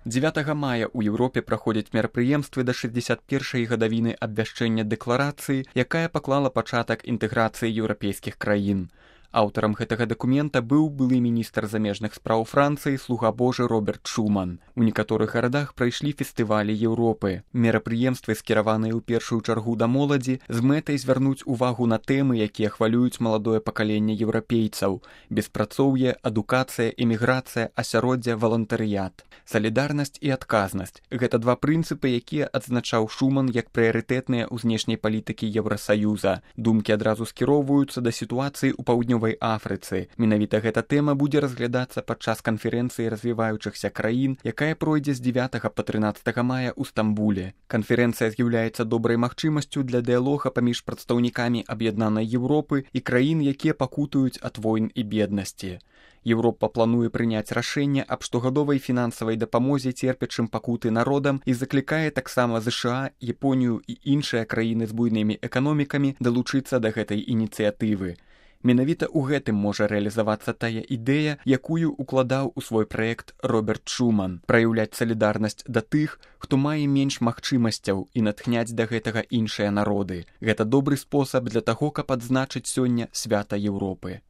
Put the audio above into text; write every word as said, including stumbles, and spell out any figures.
дзевятага мая ў Еўропе праходзяць мерапрыемствы да шэсцьдзесят першай гадавіны абвяшчэння дэкларацыі, якая паклала пачатак інтэграцыі еўрапейскіх краін. Аўтарам гэтага дакумента быў былы міністр замежных спраў Францыі слуга Божы Роберт Шуман. У некаторых гарадах прайшлі фестывалі Еўропы. Мерапрыемствы скіраваныя ў першую чаргу да моладзі з мэтай звярнуць увагу на тэмы, якія хвалююць маладое пакаленне еўрапейцаў: беспрацоўе, адукацыя, эміграцыя, асяроддзе, валантарыят. Салідарнасць і адказнасць – гэта два прынцыпы, якія адзначаў Шуман як прыярытэтныя ў знешняй палітыкі Еўрасаюза. Думкі адразу скіроўваюцца да сітуацыі ў паўднёвай Афрыцы. Менавіта гэта тэма будзе разглядацца падчас канферэнцыі развіваючыхся краін, якая пройдзе з дзевятага па трынаццатага мая ў Стамбуле. Канферэнцыя з'яўляецца добрай магчымасцю для дыялога паміж прадстаўнікамі аб'яднанай Еўропы і краін, якія пакутуюць ад войн і беднасці. Еўропа плануе прыняць рашэнне аб штогадовай фінансавай дапамозе церпячым пакуты народам і заклікае таксама ЗША, Японію і іншыя краіны з буйнымі эканомікамі далучыцца да гэтай ініцыятывы. Менавіта ў гэтым можа рэалізавацца тая ідэя, якую укладаў у свой праект Роберт Шуман – праяўляць салідарнасць да тых, хто мае менш магчымасцяў, і натхняць да гэтага іншыя народы. Гэта добры спосаб для таго, каб адзначыць сёння свята Еўропы.